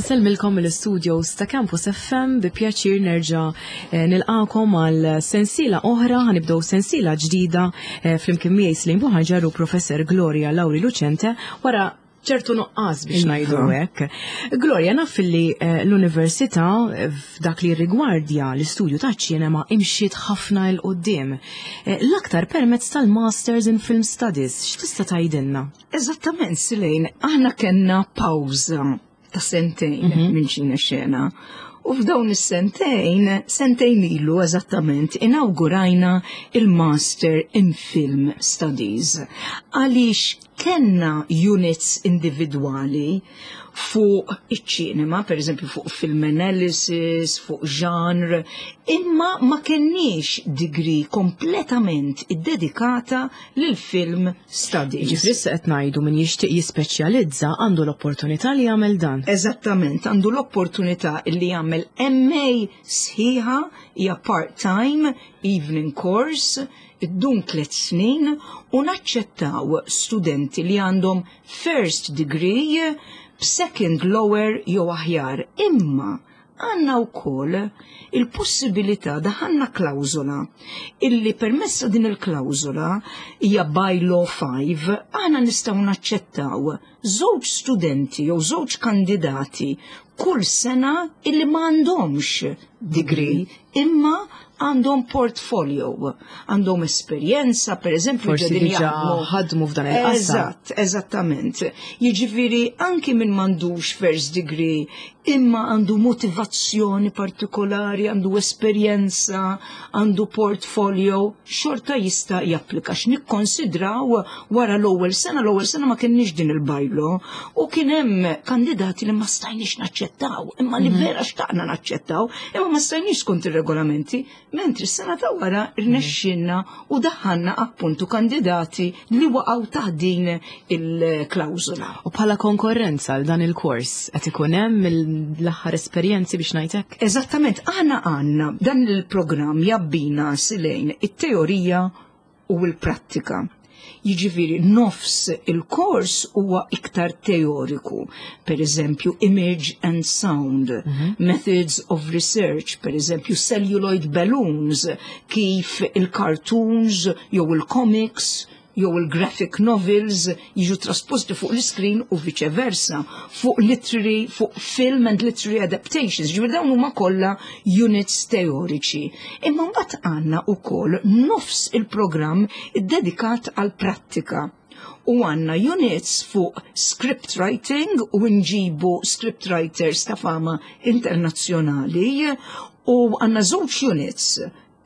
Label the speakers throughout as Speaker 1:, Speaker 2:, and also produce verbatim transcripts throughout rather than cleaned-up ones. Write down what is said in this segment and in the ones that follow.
Speaker 1: Insellmilkom mill-studios ta' Campus F M. Bi pjaċir nerġa' eh, nilqakom għal sensiela oħra. Ħa nibdew sensiela ġdida eh, flimkien miegħi Slim Buħanġar u Professor Gloria Lauri Lucente wara ċertu nuqqas, biex ngħidu hekk. Gloria, naf li eh, l-università eh, f'dak li rigwardja l-istudju ta' ċinema imxiet ħafna 'l quddiem. Eh, L-aktar permezz tal-Masters in Film Studies. X'tista' tgħidilna?
Speaker 2: Eżattament, Silejn, aħna kellna pawża ta' sentejn minn ċina xena. U f'dawn is-sentejn, sentejn ilu eżattament, inaugurajna il-Master in Film Studies. Għaliex kellna units individwali fuq iċ-ċinema, per eżempju fuq film analysis, fuq genre, imma ma kenniex degree kompletament iddedikata lil film studies.
Speaker 1: Ġifieri issa qed ngħidu min jixtieq jispeċjalizza għandu l-opportunità li jagħmel dan.
Speaker 2: Eżattament, għandu l-opportunità li jagħmel M A sħiħa, hija part-time evening course, iddum tliet snin u naċċettaw studenti li għandhom first degree b'second lower jew aħjar. Imma għandna wkoll il-possibilità, daħħalna klawżola illi permezz din il-klawżola, hija by law five, aħna nistgħu naċċettaw żewġ studenti jew żewġ kandidati kull sena illi m'għandhomx degree imma għandhom portfolio, għandhom esperjenza, per eżempju,
Speaker 1: Forsi
Speaker 2: ġedin
Speaker 1: diġà
Speaker 2: jaħdmu-
Speaker 1: ħadmu f'dan il-qasam.
Speaker 2: Eżatt, eżattament. Jiġifieri anki min m'għandux first degree imma għandu motivazzjoni partikolari, għandu esperjenza, għandu portfolio, xorta jista' japplika. X'nikkonsidraw wara l-ewwel sena, l-ewwel sena ma kienx din il-bylaw u kien hemm kandidati li ma stajniex naċċettaw, imma li vera xtaqna naċċettaw, imma ma stajniex skont ir-regolamenti, mentri s-sena ta' wara rnexxinna u daħħalna appuntu kandidati li waqgħu taħt din il-klawżola.
Speaker 1: U bħala konkurrenza għal dan il-kors qed ikun hemm l-aħħar esperjenzi, biex ngħidlek?
Speaker 2: Eżattament, aħna għandna dan il-programm jabbina, Silejn, it-teorija u l-prattika. Jiġifieri nofs il-kors huwa iktar teoriku, per eżempju image and sound, methods of research, per eżempju celluloid balloons, kif il-cartoons jew il-comics jew il-graphic novels jiġu trasposti fuq l-screen u vice versa, fuq literary, fuq film and literary adaptations, ġifieri dawn huma kollha units teoriċi. Imma mbagħad għandna wkoll nofs il-programm iddedikat għal prattika. U għandna units fuq script writing u nġibu script writers ta' fama internazzjonali u għandna żewġ units: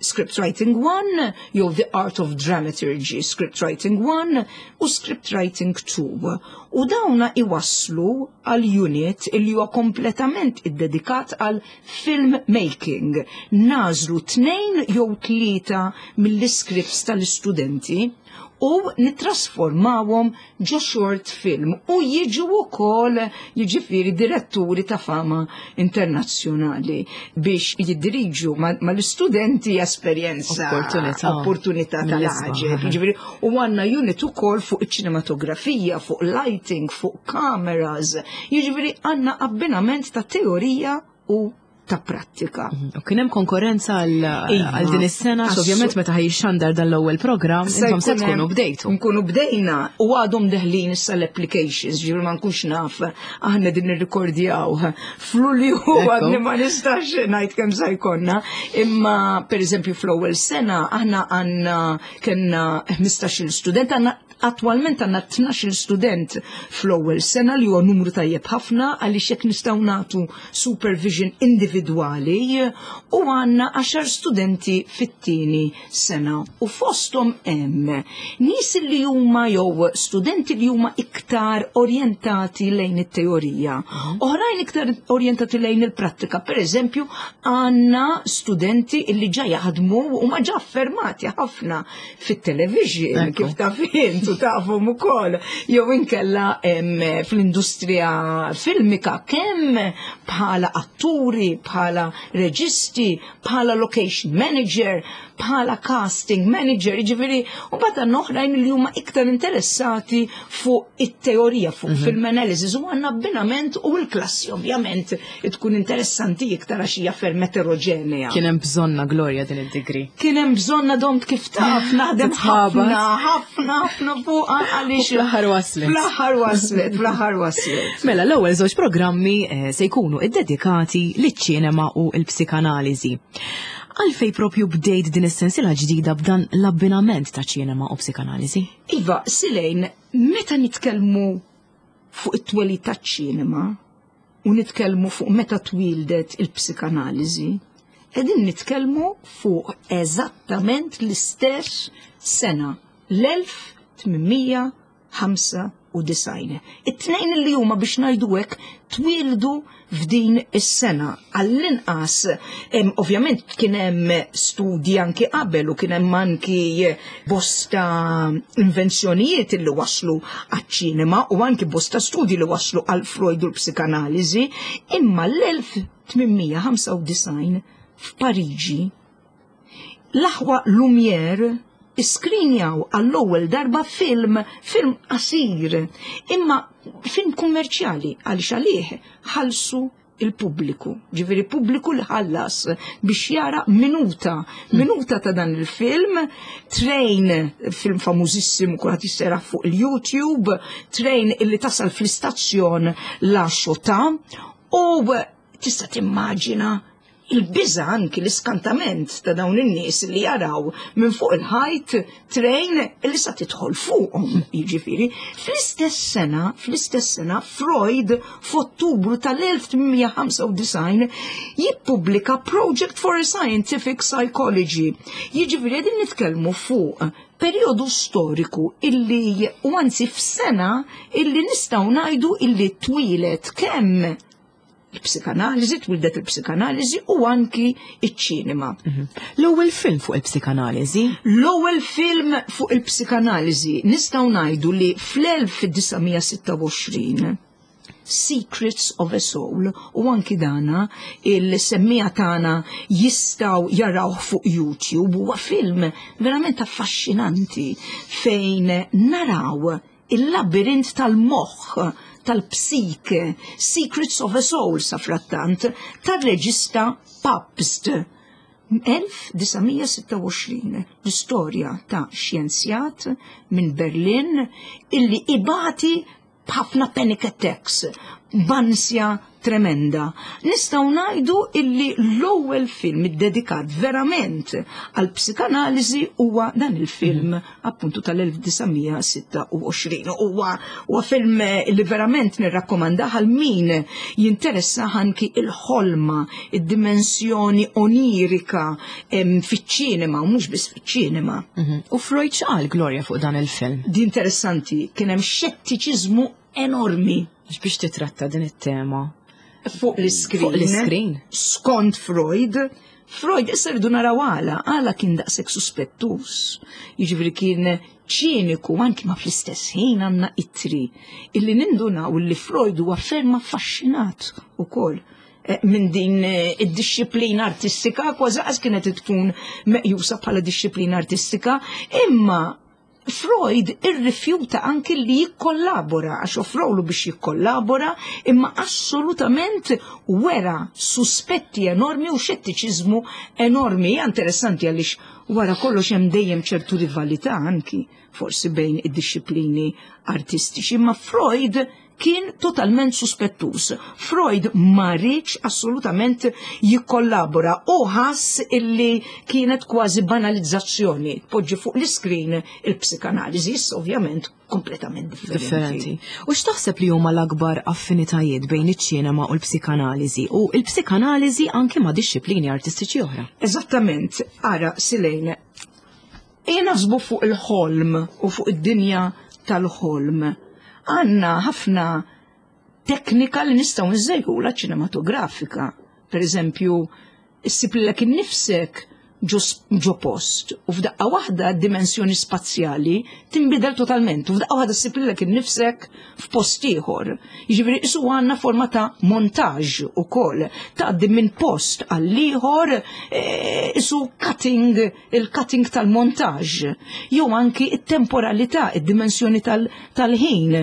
Speaker 2: Script Writing one jew The Art of Dramaturgy, Script Writing one u Script Writing two. U dawna iwaslu għal unit illi huwa kompletament iddedikat għal film making. Nagħżlu tnejn jew tlieta mill-scripts tal-istudenti u nitrasformawhom ġo short film u jiġu wkoll, jiġifieri, diretturi ta' fama internazzjonali biex jiddiriġu mal-istudenti. Esperjenza
Speaker 1: Opportunità.
Speaker 2: Opportunità
Speaker 1: Mill-isbaħ.
Speaker 2: Tal-għaġeb. Jiġifieri u għandna unit ukoll fuq iċ-ċinematografija, fuq lighting, fuq cameras. Jiġifieri għandna abbinament ta' teorija u ta' prattika.
Speaker 1: U kien hemm konkurrenza għal
Speaker 2: Iva.
Speaker 1: għal din is-sena,
Speaker 2: Assu-
Speaker 1: ovvjament meta ħa jixxandar dan l-ewwel programm, intom se
Speaker 2: jkun
Speaker 1: tkunu
Speaker 2: hemm-
Speaker 1: bdejtu.
Speaker 2: Nkunu bdejna u għadhom deħlin issa l-applications, ġifieri ma nkunx naf, aħna din nirrikordjaw f'Lulju,
Speaker 1: Ekku.
Speaker 2: għadni ma nistax ngħid kemm sa jkollna, imma per eżempju fl-ewwel sena aħna għandna kellna ħmistax-il student, għandna attualment għandna tnax-il student fl-ewwel sena, li huwa numru tajjeb ħafna għaliex hekk nistgħu nagħtu supervision individwali, u għandna għaxar studenti fit-tieni sena u fosthom hemm nies li huma jew studenti li huma iktar orjentati lejn it-teorija, oħrajn iktar orjentati lejn il-prattika. Per eżempju, għandna studenti li ġa jaħdmu u ma ġa affermati ħafna fit-television,
Speaker 1: Ekku.
Speaker 2: kif taf int. u tafhom ukoll. Jew inkella fl-industrija filmika kemm bħala atturi, bħala reġisti, bħala location manager, bħala casting manager, jiġifieri, u bata oħrajn li huma iktar interessati fuq it-teorija, fuq mm -hmm. film analysis, u għandna abbinament u l-klassi ovvjament tkun interessanti iktar għax hija ferm eterogenea.
Speaker 1: Kien hemm bżonna, Gloria, din id-degree.
Speaker 2: Kien hemm bżonna, domt kif taf, naħdem ħafna, ħafna, ħafna fuq
Speaker 1: għaliex. Fl-aħħar waslet.
Speaker 2: Fl-aħħar waslet, fl-aħħar waslet.
Speaker 1: Mela, l-ewwel żewġ programmi eh, se jkunu iddedikati liċ-ċinema u l-psikanaliżi. Għalfej propju bdejt din is-sensiela ġdida b'dan l-abbinament ta' ċinema u psikanaliżi?
Speaker 2: Iva, Silejn, meta nitkellmu fuq it-twelid taċ-ċinema u nitkellmu fuq meta twildet il-psikanaliżi, qegħdin nitkellmu fuq eżattament l-istess sena, l-elf tmien mija ħamsa u disgħin. It-tnejn li huma, biex ngħidu hekk, twildu f'din is-sena. Għall-inqas, ovvjament kien hemm studji anki qabel u kien hemm anki bosta invenzjonijiet li waslu għaċ-ċinema u anki bosta studji li waslu għal Freud u l-psikanaliżi, imma l-elf tmien mija ħamsa u disgħin f'Pariġi l-aħwa Lumière iskrinjaw għall-ewwel darba film, film qasir, imma film kummerċjali, għaliex għalih ħallsu il-pubbliku. Ġifieri pubbliku li ħallas biex jara minuta, minuta ta' dan il-film, Train, film famużissimu, kulħadd jissera fuq il-YouTube, train illi tasal fl-istazzjon La Ciotat, u tista' timmaġina il-biża, anki l-iskantament ta' dawn in-nies li jaraw minn fuq il-ħajt train li sa tidħol fuqhom, jiġifieri. Fl-istess sena, fl-istess sena Freud f'Ottubru tal-elf tmien mija ħamsa u disgħin jippubblika Project for a Scientific Psychology. Jiġifieri qegħdin nitkellmu fuq periodu storiku illi, u anzi f'sena illi nistgħu ngħidu illi twilet kemm il-psikanaliżi, twildet il-psikanaliżi u anki iċ-ċinema.
Speaker 1: Mhm. L-ewwel film fuq il-psikanaliżi?
Speaker 2: L-ewwel film fuq il-psikanaliżi nistgħu ngħidu li fl-elf disa' mija sitta u għoxrin Secrets of a Soul, u anki dana il-semmiegħa tagħna jistgħu jaraw fuq YouTube. Huwa film verament affaxxinanti fejn naraw il-labirint tal-moħħ, tal-psike, Secrets of a Soul, safrattant, tar-reġista Pabst. elf disa' mija sitta u għoxrin, l-istorja ta' xjenzjat minn Berlin illi ibati b'ħafna panic attacks, b'ansja tremenda. Nistgħu ngħidu illi l-ewwel film iddedikat verament għal psikanaliżi huwa dan il-film appuntu tal-elf disa' mija sitta u għoxrin. Huwa huwa film li verament nirrakkomandah għal min jinteressa anki il-ħolma, id-dimensjoni onirika fiċ-ċinema u mhux biss fiċ-ċinema.
Speaker 1: Mhm. U Freud x'qal, Gloria, fuq dan il-film?
Speaker 2: Di interessanti, kien hemm xettiċiżmu enormi.
Speaker 1: Biex titratta din it-tema
Speaker 2: fuq l-iskrin.
Speaker 1: Fuq l-iskrin.
Speaker 2: Skont Freud, Freud issa rridu naraw għala, għala kien daqshekk suspettus. Jiġifieri kien ċiniku anki, ma fl-istess ħin għandna ittri illi nindunaw illi Freud huwa ferm affaxxinat ukoll eh, minn din eh, id-disciplina artistika, kważi qas kienet tkun meqjusa bħala disciplina artistika, imma Freud irrifjuta anki li jikkollabora, għax offrowlu biex jikkollabora, imma assolutament wera suspetti enormi u xettiċiżmu enormi. Hija interessanti għaliex wara kollox hemm dejjem ċertu rivalità anki forsi bejn id-disciplini artistiċi, imma Freud kien totalment suspettus. Freud ma riedx assolutament jikkollabora u ħass illi kienet kważi banalizzazzjoni. Poġġi fuq l-iskrin il-psikanaliżi, issa ovvjament kompletament differenti.
Speaker 1: Differenti. U x'taħseb li huma l-akbar affinitajiet bejn iċ-ċinema u l-psikanaliżi u l-psikanaliżi anke ma' disċiplini artistiċi oħra?
Speaker 2: Eżattament, ara, Silejn, ejja naħsbu fuq il-ħolm u fuq id-dinja tal-ħolm. Għandna ħafna teknika li nistgħu nżejħula ċinematografika. Per eżempju, issib lilek innifsek Ġo post u f'daqqa waħda d-dimensjoni spazjali tinbidel totalment u f'daqqa waħda ssib lilek innifsek f'post ieħor. Jiġifieri qisu għandna forma ta' montaġġ ukoll, tgħaddi minn post għal ieħor, qisu cutting, il-cutting tal-montaġġ. Jew anki it-temporalità, id-dimensjoni tal-ħin.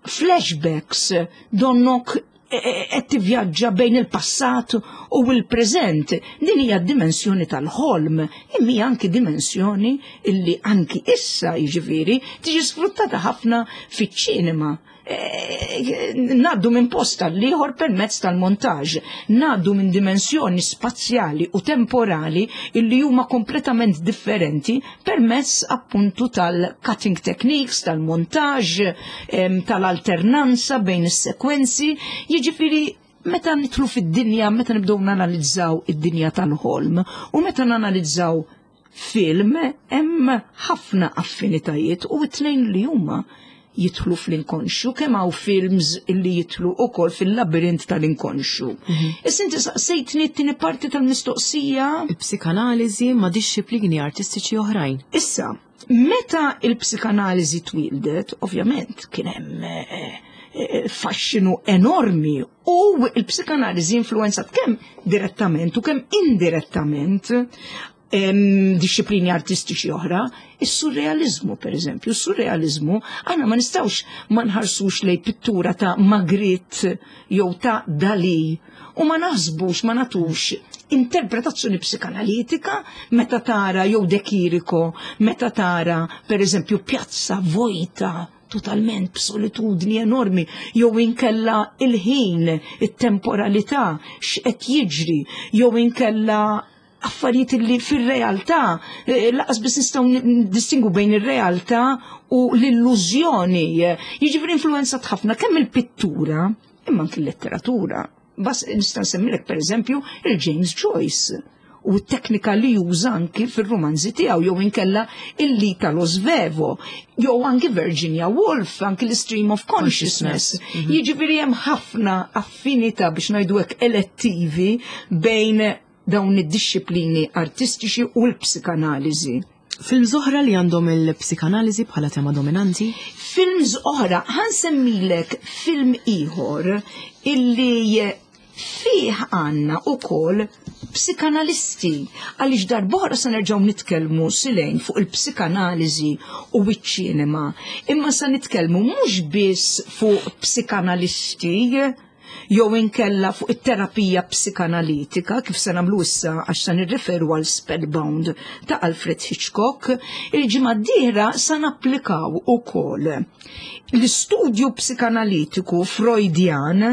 Speaker 2: Flashbacks, donnok qed tivvjaġġa bejn il-passat u l-preżent. Din hija d-dimensjoni tal-ħolm, imma hija anki dimensjoni illi anki issa, jiġifieri, tiġi sfruttata ħafna fiċ-ċinema. Ngħaddu minn post għal ieħor permezz tal-montaġġ, ngħaddu minn dimensjoni spazjali u temporali illi huma kompletament differenti permezz appuntu tal-cutting techniques, tal-montaġġ, tal-alternanza bejn is-sekwenzi. Jiġifieri meta nidħlu fid-dinja, meta nibdew nanalizzaw id-dinja tal-ħolm u meta nanalizzaw film, hemm ħafna affinitajiet u t-tnejn li huma jidħlu fl-inkonxju, kemm hawn films illi jidħlu ukoll fil-labirint tal-inkonxju. Issa inti saqsejtni t-tieni parti tal-mistoqsija.
Speaker 1: Il-psikanaliżi ma' dixxiplini artistiċi oħrajn.
Speaker 2: Issa, meta il-psikanaliżi twildet, ovvjament kien hemm eh, eh, faxxinu enormi u il-psikanaliżi influenzat kemm direttament u kemm indirettament em, dixxiplini artistiċi oħra, is-surrealizmu per eżempju. Is-surrealizmu aħna ma nistgħux ma nħarsux lej pittura ta' Magritte jew ta' Dali u ma naħsbux, ma nagħtux interpretazzjoni psikanalitika meta tara jew De Chirico, meta tara per eżempju pjazza vojta totalment b'solitudni enormi, jew inkella il-ħin, it-temporalità, x'qed jiġri, jew inkella affarijiet li fir-realtà eh, lanqas biss nistgħu distingu bejn ir-realtà u l-illużjoni. Jiġifieri influenzat ħafna kemm il-pittura imma anki l-letteratura. Bas nista' nsemmilek pereżempju il-James Joyce u t-teknika li juża anki fil-romanzi tiegħu, jew inkella il-Italo Svevo, jew anki Virginia Woolf, anki l-stream of consciousness. Jiġifieri hemm ħafna affinità, biex ngħidu hekk, elettivi bejn dawn id-dixxiplini artistiċi u l-psikanaliżi.
Speaker 1: Films oħra li għandhom il-psikanaliżi bħala tema dominanti?
Speaker 2: Films oħra, ħa nsemmilek film ieħor illi fih għandna ukoll psikanalisti, għaliex darb'oħra sa nerġgħu nitkellmu silejn fuq il-psikanaliżi u iċ-ċinema, imma sa nitkellmu mhux biss fuq psikanalisti jew inkella fuq it-terapija psikanalitika, kif se nagħmlu issa għax se nirreferu għal Spellbound ta' Alfred Hitchcock. Il-ġimgħa d-dieħla sa napplikaw ukoll l-istudju psikanalitiku Freudian,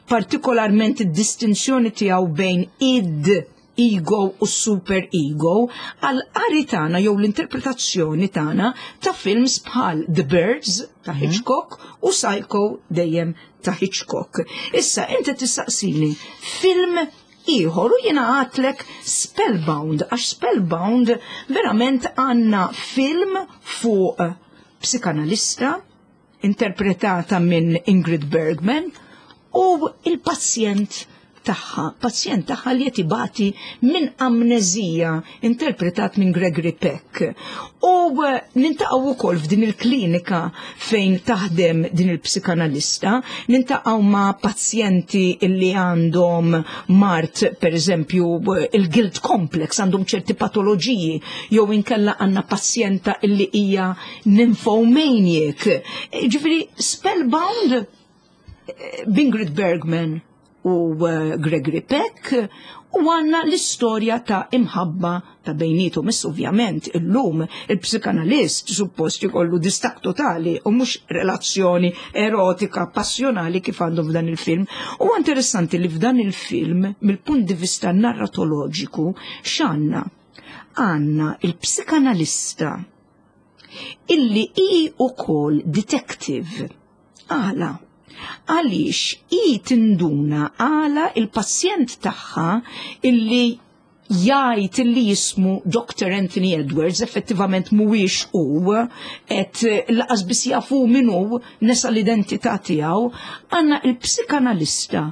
Speaker 2: partikolarment id-distinzjoni tiegħu bejn id, ego u super ego, għal qari tagħna jew l-interpretazzjoni tagħna ta' films bħal The Birds ta' Hitchcock u Psycho dejjem ta' Hitchcock. Issa inti tistaqsini film ieħor u jiena għedtlek Spellbound, għax Spellbound verament għandna film fuq psikanalista interpretata minn Ingrid Bergman u il-pazjent tagħha, pazjent tagħha li qed ibati minn amnezija, interpretat minn Gregory Peck. U eh, niltaqgħu wkoll f'din il-klinika fejn taħdem din il-psikanalista, niltaqgħu ma' pazjenti li għandhom mard, per eżempju, il-guilt complex, għandhom ċerti patoloġiji, jew inkella għandna pazjenta illi hija nymphomaniac. Ġifieri Spellbound eh, b'Ingrid Bergman u eh, Gregory Peck u għandna l-istorja ta' imħabba ta' bejnietom. Issa ovvjament illum il-psikanalist suppost jkollu distak totali u mhux relazzjoni erotika passjonali kif għandhom f'dan il-film. U interessanti li f'dan il-film, mill-punt di vista narratoloġiku, x'għandna? Għandna il-psikanalista illi hi ukoll detective. Għala? Għaliex i tinduna għala il-pazjent tagħha illi jgħid illi jismu Doctor Anthony Edwards effettivament mhuwiex u qed lanqas biss jafu min hu, nesa l-identità tiegħu, għandna il-psikanalista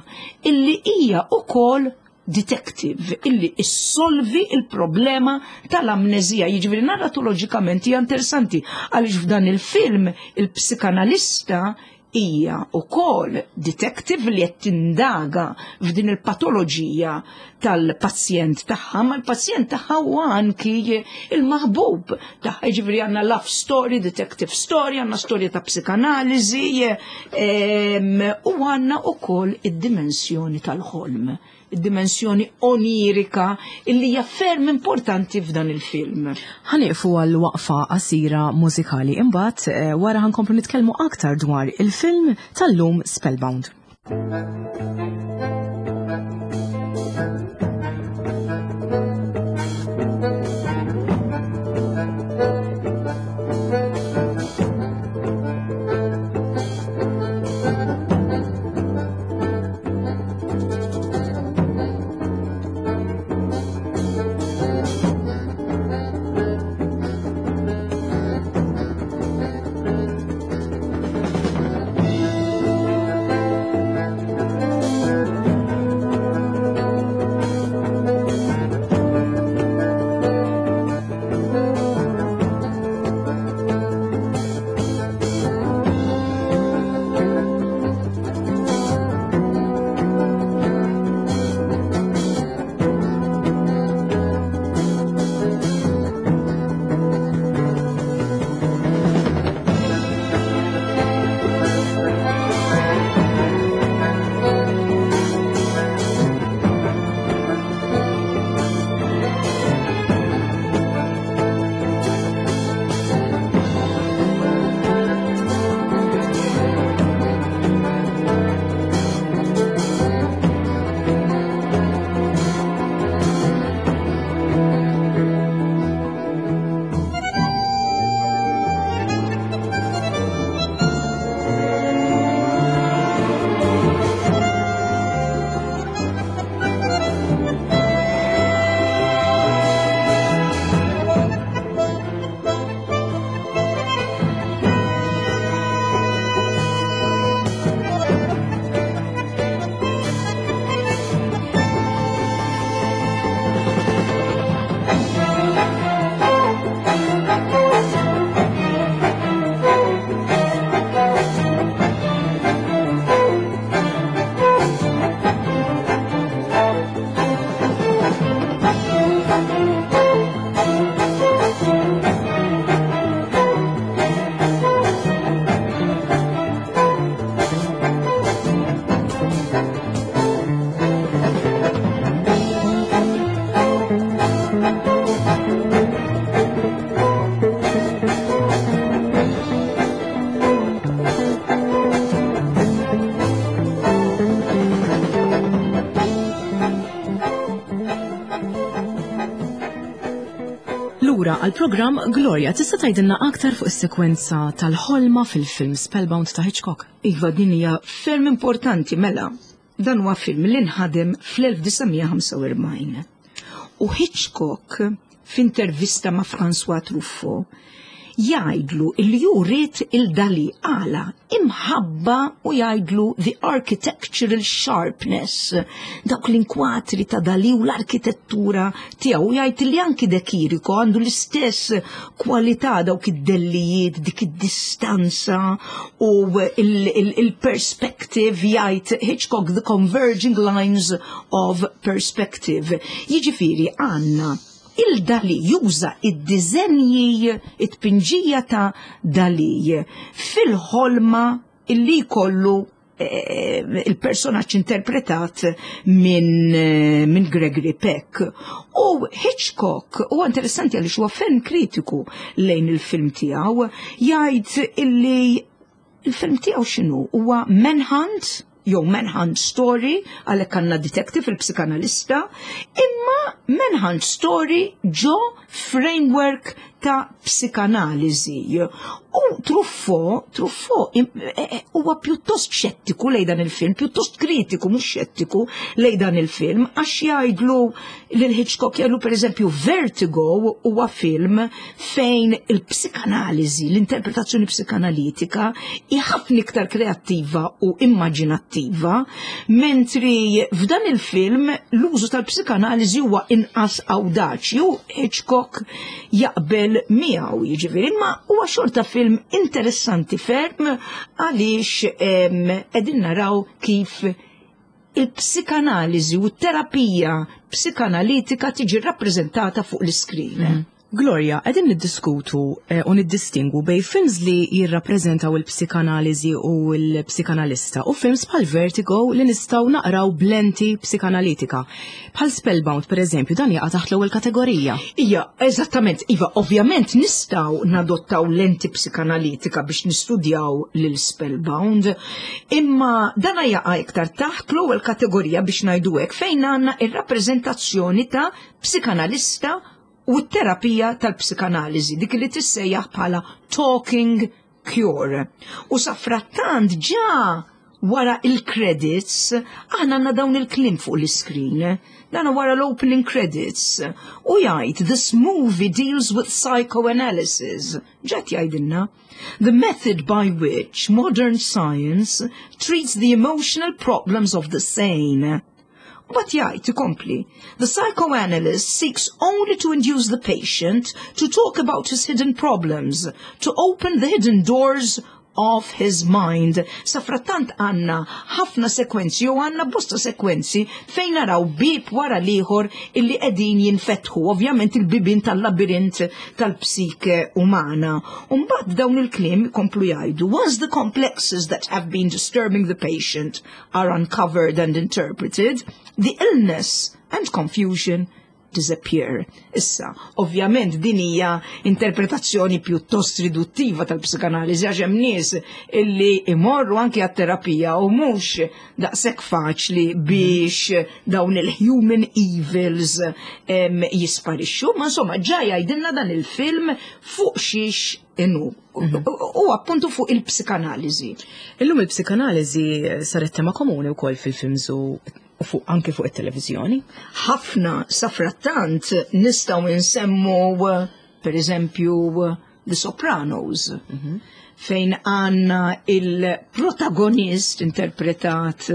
Speaker 2: illi hija ukoll detective illi issolvi il-problema tal-amnezija. Jiġifieri narratoloġikament hija interessanti għaliex f'dan il-film il-psikanalista hija wkoll detective li qed tindaga f'din il-patoloġija tal-pazjent tagħha, ma l-pazjent tagħha huwa anki il-maħbub tagħha. Jiġifieri għandna love story, detective story, għandna storja ta' psikanaliżi u għandna wkoll id-dimensjoni tal-ħolm, id-dimensjoni onirika illi hija ferm importanti f'dan il-film.
Speaker 1: Ħa nieqfu għal waqfa qasira mużikali, imbagħad eh, wara ħa nkomplu nitkellmu aktar dwar il-film tal-lum, Spellbound. Lura għal-programm. Gloria, tista' tgħidilna aktar fuq is-sekwenza tal-ħolma fil-film Spellbound ta' Hitchcock?
Speaker 2: Iva, din hija ferm importanti. Mela, dan huwa film li nħadem fl-elf disa' mija ħamsa u erbgħin. U Hitchcock f'intervista ma' François Truffaut jgħidlu li hu ried lil Dali għala imħabba u jgħidlu the architectural sharpness, dawk l-inkwatri ta' Dali u l-arkitettura tiegħu. Jgħid li anki De Chirico għandu l-istess kwalità, dawk id-dellijiet, dik id-distanza u il-perspective, jgħid Hitchcock, the converging lines of perspective. Jiġifieri għandna lil Dali juża id-diżenji, it-tpinġija ta' Dali fil-ħolma illi kollu eh, il-personaġġ interpretat minn eh, min Gregory Peck. U Hitchcock huwa interessanti għaliex huwa ferm kritiku lejn il-film tiegħu, jgħid illi il-film tiegħu x'inhu, huwa manhunt jew manhunt story, għalhekk għandna detective, il-psikanalista, imma manhunt story ġo framework ta' psikanaliżi. U Truffaut, Truffaut e, e, huwa pjuttost xettiku lejn dan il-film, pjuttost kritiku, mhux xettiku lejn dan il-film, għax jgħidlu lil Hitchcock, jgħidlu pereżempju Vertigo huwa film fejn il-psikanaliżi, l-interpretazzjoni psikanalitika hi ħafna iktar kreattiva u immaġinattiva, mentri f'dan il-film l-użu tal-psikanaliżi huwa inqas awdaċi u Hitchcock jaqbel miegħu, jiġifieri, imma huwa xorta film interessanti ferm għaliex qegħdin naraw kif il-psikanaliżi u t-terapija psikanalitika tiġi rappreżentata fuq l-iskrin.
Speaker 1: Mm. Gloria, qegħdin niddiskutu eh, u niddistingu bejn films li jirrappreżentaw il-psikanaliżi u l-psikanalista u films bħal Vertigo li nistgħu naqraw b'lenti psikanalitika. Bħal Spellbound, per eżempju, dan jaqa' taħt l-ewwel kategorija.
Speaker 2: Ija, eżattament, iva, ovvjament nistgħu nadottaw lenti psikanalitika biex nistudjaw lil Spellbound, imma dana jaqa' iktar taħt l-ewwel kategorija, biex ngħidu hekk, fejn għandna ir-rappreżentazzjoni ta' psikanalista u t-terapija tal-psikanaliżi, dik li tissejjaħ bħala talking cure. U safrattant ġa wara il-credits, aħna għandna dawn il-kliem fuq l-screen, dan wara l-opening credits, u jgħid, "This movie deals with psychoanalysis." Ġat jgħidilna, "The method by which modern science treats the emotional problems of the sane." But jgħid ikompli, "The psychoanalyst seeks only to induce the patient to talk about his hidden problems, to open the hidden doors of his mind." Safrattant għandna ħafna sekwenzi u għandna bosta sekwenzi fejn naraw bib wara l-ieħor illi qegħdin jinfetħu, ovvjament il-bibin tal-labirint tal-psike umana. Umbagħad dawn il-kliem komplu jgħidu, "Once the complexes that have been disturbing the patient are uncovered and interpreted, the illness and confusion disappear." Issa, ovvjament din hija interpretazzjoni pjuttost riduttiva tal-psikanaliżi, għax hemm nies illi imorru anki għat-terapija u mhux daqshekk faċli biex dawn il-human evils em, jisparixxu, ma insomma ġa jgħidilna dan il-film fuq xiex inhu. U appuntu fuq il-psikanaliżi.
Speaker 1: Illum il-psikanaliżi saret tema komuni wkoll fil-films u u fuq anke fuq it-televiżjoni.
Speaker 2: Ħafna. Safrattant nistgħu nsemmu, per eżempju, The Sopranos, fejn għandna il-protagonist interpretat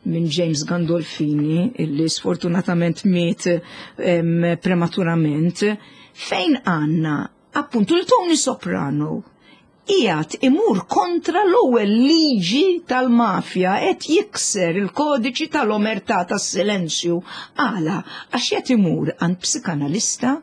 Speaker 2: minn James Gandolfini, illi sfortunatament miet em, prematurament, fejn għandna appuntu l-Tony Soprano qiegħed imur kontra l-ewwel liġi tal-mafja, qed jikser il-kodiċi tal-omertà, tas-silenzju. Għala? Għax qed imur għand psikanalista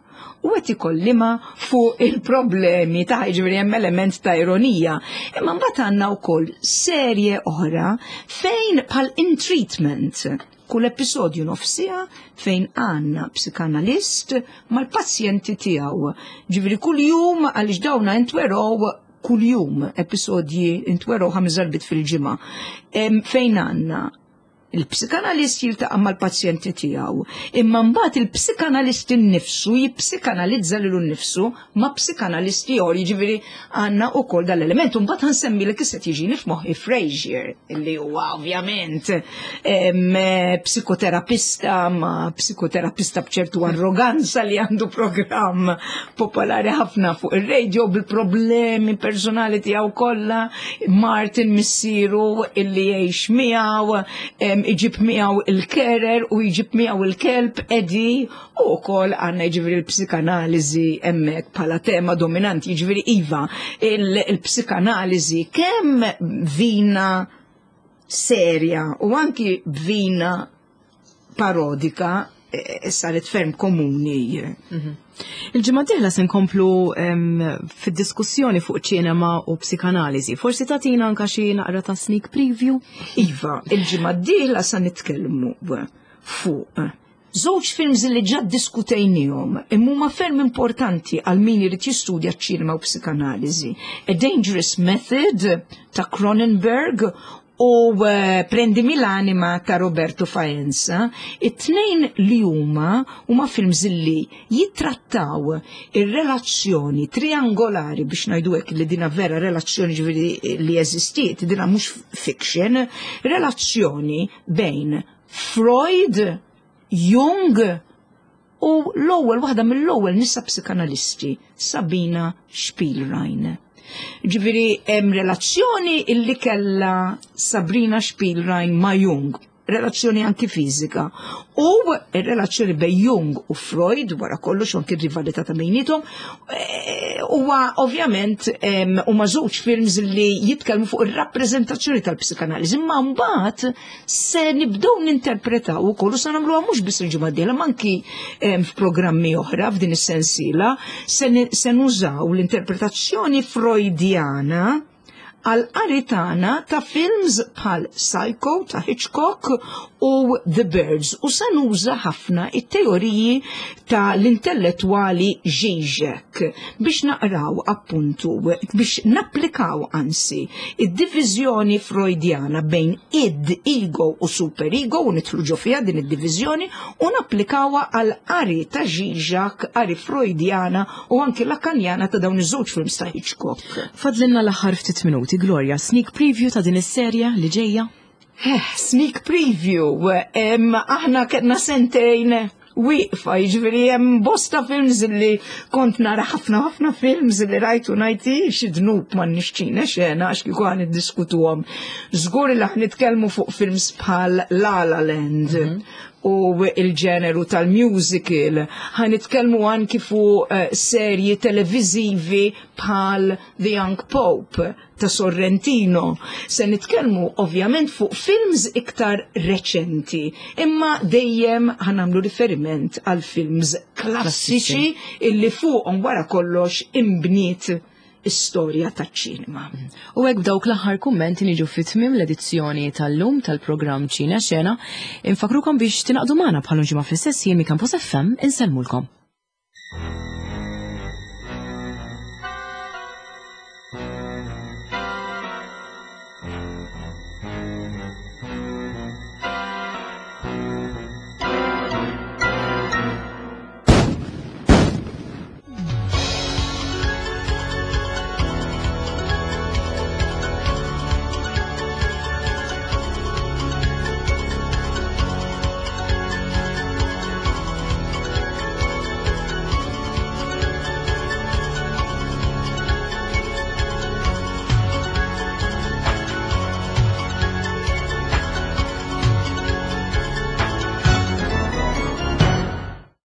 Speaker 2: u qed ikollima fuq il-problemi ta', ġifieri hemm element ta' ironija. Imma mbagħad għandna wkoll serje oħra fejn bħal In Treatment, kull episodju nofsija fejn għandna psikanalist mal-pazjenti tiegħu. Ġifieri kull jum, għaliex dawna intwerow kull jum, episodji intwerow ħames darbiet fil-ġimgħa. Em, Fejn għandna il-psikanalist jiltaqa' mal-pazjenti tiegħu, imma mbagħad il-psikanalist innifsu jipsikanalizza lilu nnifsu ma' psikanalist ieħor, jiġifieri għandna wkoll dal-element. U mbagħad ħa nsemmilek, issa jiġini f'moħħi Frasier, illi huwa ovvjament em, psikoterapista, ma psikoterapista b'ċertu arroganza, li għandu programm popolari ħafna fuq ir-radio bil-problemi personali tiegħu kollha, Martin missieru illi jgħix miegħu, em, iġib miegħu il-carer u jġib miegħu il-kelb Eddie, u wkoll għandna jiġifieri l-psikanaliżi hemmhekk bħala tema dominanti, jiġifieri iva, il- il-psikanaliżi kemm vina serja u anki vina parodika eh, saret ferm komuni.
Speaker 1: Il-ġimgħa dieħla se nkomplu em, fid-diskussjoni fuq ċinema u psikanaliżi. Forsi tagħtina anka xi naqra ta' sneak preview?
Speaker 2: Iva, il-ġimgħa d-dieħla sa nitkellmu fuq żewġ films li ġa diskutejnihom imma huma ferm importanti għal min irid jistudja ċinema u psikanaliżi. A Dangerous Method ta' Cronenberg u U eh, Prendimi l'anima ta' Roberto Faenza. It-tnejn li huma huma films li jittrattaw ir-relazzjoni triangolari, biex ngħidu hekk, li dina vera relazzjoni, ġifieri li eżistiet, dina mhux fiction, relazzjoni bejn Freud, Jung u l-ewwel waħda mill-ewwel nisa psikanalisti, Sabina Spielrein. Ġifieri hemm relazzjoni illi kella Sabrina Spielrein ma' Jung, relazzjoni anki fiżika. U ir-relazzjoni bejn Jung u Freud, wara kollox anki rivalità ta' bejniethom, eh, huwa ovvjament huma żewġ films li jitkellmu fuq ir-rappreżentazzjoni tal-psikanaliżi, imma mbagħad se nibdew ninterpretaw ukoll u se nagħmluha mhux biss il-ġimgħa d-dieħla, ma anki f'programmi oħra f'din is-sensiela, se nużaw l-interpretazzjoni Freudjana għal qari tagħna ta' films bħal Psycho ta' Hitchcock u The Birds, u se nuża ħafna it-teoriji ta' l-intellettwali Žižek biex naqraw, appuntu, biex napplikaw ansi id-diviżjoni Freudjana bejn id, ego u superego, u nidħlu ġo fiha din id-diviżjoni u napplikawha għal qari ta' Žižek, qari Freudjana u anki Lakanjana ta' dawn iż-żewġ films ta' Hitchcock.
Speaker 1: Fadlinna l-aħħar ftit minuti, Gloria, sneak preview ta' din is-serja li ġejja?
Speaker 2: Eh, sneak preview, em, aħna kellna sentejn wieqfa, jiġifieri hemm bosta films li kont nara, ħafna ħafna films li rajtu ngħid xi dnub ma nixċina xena għax kieku ħa niddiskutuhom. Żgur li ħa nitkellmu fuq films bħal La La Land mm -hmm. u il-ġeneru tal-musical, ħa nitkellmu anki fuq uh, serji televizivi bħal The Young Pope ta' Sorrentino. Se nitkellmu ovvjament fuq films iktar reċenti, imma dejjem ħa nagħmlu riferiment għal films klassiċi illi fuqhom wara kollox imbniet istorja taċ-ċinema.
Speaker 1: U hekk b'dawk l-aħħar kummenti niġu fi tmiem l-edizzjoni tal-lum tal-programm Ċina Xena. Infakrukom biex tingħaqdu magħna bħal ġimgħa fl-istess jiem Campus F M. Insellmulkom.